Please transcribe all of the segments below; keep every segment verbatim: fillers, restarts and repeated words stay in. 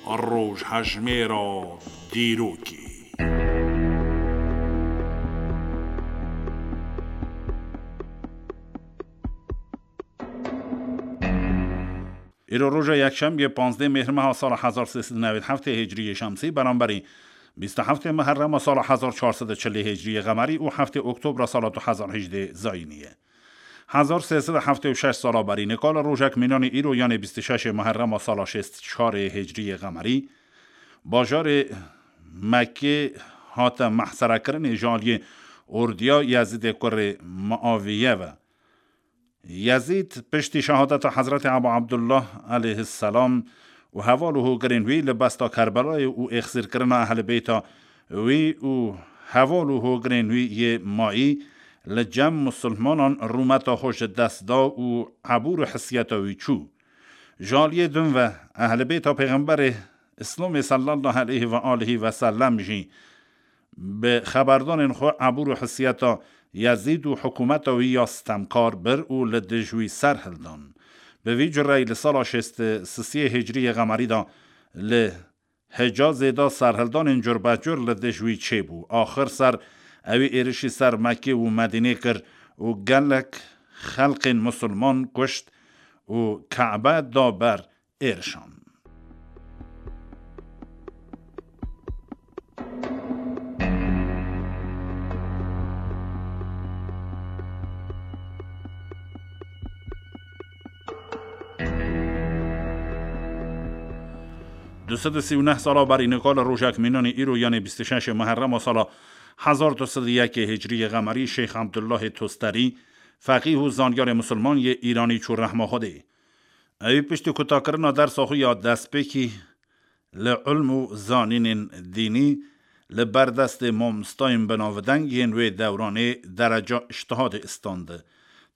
Rojhejmêra dîrokê. Îro roja yekşemiyê, panzdeh Mêhrmeha sala hezar sê sed û newêd heftê Hicriyê Şemsî, beramberî bîst û heftê Muherrema sala hezar çar sed û çilê Hicriyê Qemerî û heftê Oktobra sala du hezar hejdê Zayînî ye. Hezar sê sed û heftê û şeş sala berî nika li rojek mînanî îro, yanê bîst û şeşê Muherrema sala şêst û çarê Hicriyê Qemerî, bajarê Mekkê hate mehserekirinê ji aliyê ordiya Yezîdê kurê Muaviye ve. Yezîd piştî şehadeta Hezretê Ebu Abdullah aleyhisselam û heval û hogirên wî li besta Kerbelayê û êxsîrkirina ehlibeyta wî û heval û hogirên wî yê mayî li cem musulmanan rûmeta xwe ji dest da û ebûr û hesiyeta wî çû. Ji aliyê din ve ehlibeyta Pêxemberê Îslamê sallallahu aleyhi ve alihi ve sellem jî bi xeberdanên xwe ebûr û hesiyeta Yezîd û hikûmeta wî ya stemkar bir û li dij wî ser hildan. Bi vî cureyî li sala şêst û sisiyê Hicriyê Qemerî de li Hicazê de serhildanên curbecur li dij wî çêbû. Axir ser ewî êrişî ser Mekkê û Medînê kir û gelek xelkên musulman kuşt û Kebe da ber êrişan. Du sed û sî û neh sala berî nika li rojek mînanî îro, yanê bîst û şeşê Muherrema sala hezar du sed û yekê Hicriyê Qemerî, Şêx Abdullahê Tosterî, feqîh û zanyarê musulman yê Îranî çû rehma Xwedê. Ewî piştî kutakirina dersa xwe ya destpêkî li ilm û zanînên dînî li ber destê mamostayên binavdeng yên wê dewranê dereca îştihadê istandi.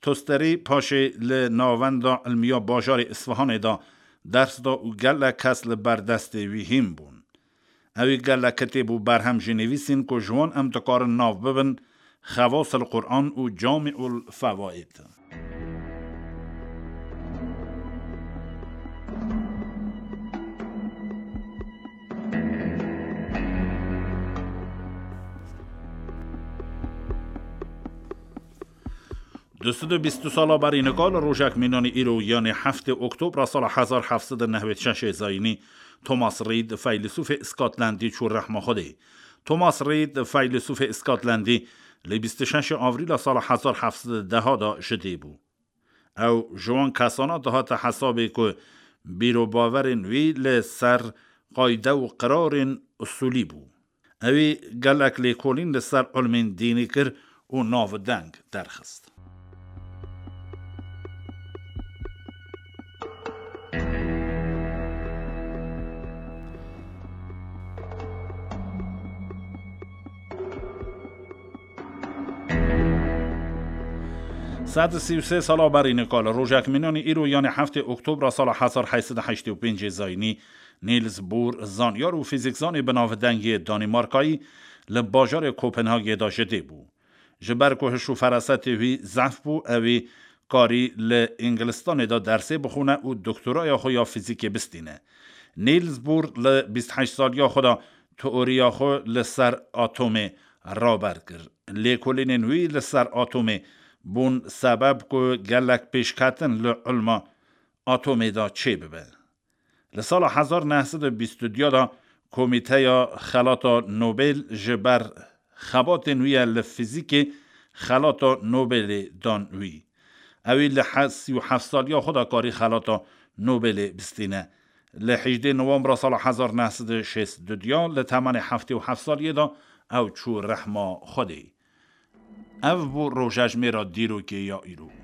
Tosterî paşê li Navenda Ilmiya Bajarê Isfahanê de ders da û gelek kes li ber destê wî hîn bûn. Ewî gelek kitêb û berhem jî nivîsîn ku ji wan em dikarin nav bibin Xevasil Quran û Camiul Fewaid. Du sed û bîst û du sala berî nika li rojek mînanî îro, yanê heftê Oktobra sala hezar heft sed û newêd şeşê Zayînî, Thomas Reid, feylesûfê Îskotlendî çû rehma Xwedê. Thomas Reid, feylesûfê Îskotlendî, li bîst û şeşê Avrîla sala hezar heft sed û deha de ji dê bû. Ew ji wan kesana dihate hesabê ku bîrobawerên wî li ser qayde û qirarên usulî bû. Ewî gelek lêkolîn li ser ilmên dînî kir û navdeng derxist. Sed û sî û sê sala berî nika li rojek mînanî îro, yanê heftê Oktobra sala hezar heyt sed û heştê û pêncê Zayînî, Niels Bohr, zanyar û fîzîkzanê binavdeng yê Danîmarkayî, li bajarê Kopenhagê de ji dê bû. Ji ber ku hiş û ferasetê wî zehf bû, ewî karî li Îngilistanê de dersê bixwine û doktoraya xwe ya fîzîkê bistîne. Niels Bohr li bîst heşt saliya xwe de teoriya xwe li ser atomê raber kir. Lêkolînên wî li ser atomê bûn sebeb ku gelek pêşketin li ilma atomê de çêbibe. Li sala hezar neh sed û bîst û duya de Komîteya Xelata Nobel ji ber xebatên wî ye li fîzîkê Xelata Nobelê dan wî. Ewî li he-, sî û heft saliya xwe de karî Xelata Nobelê bistîne. Li hejdê Nowembra sala hezar neh sed û şêst û duya li temenê heftê û heft saliyê de ew çû rehma Xwedê. Ev bû rojejmêra dîrokê ya îro.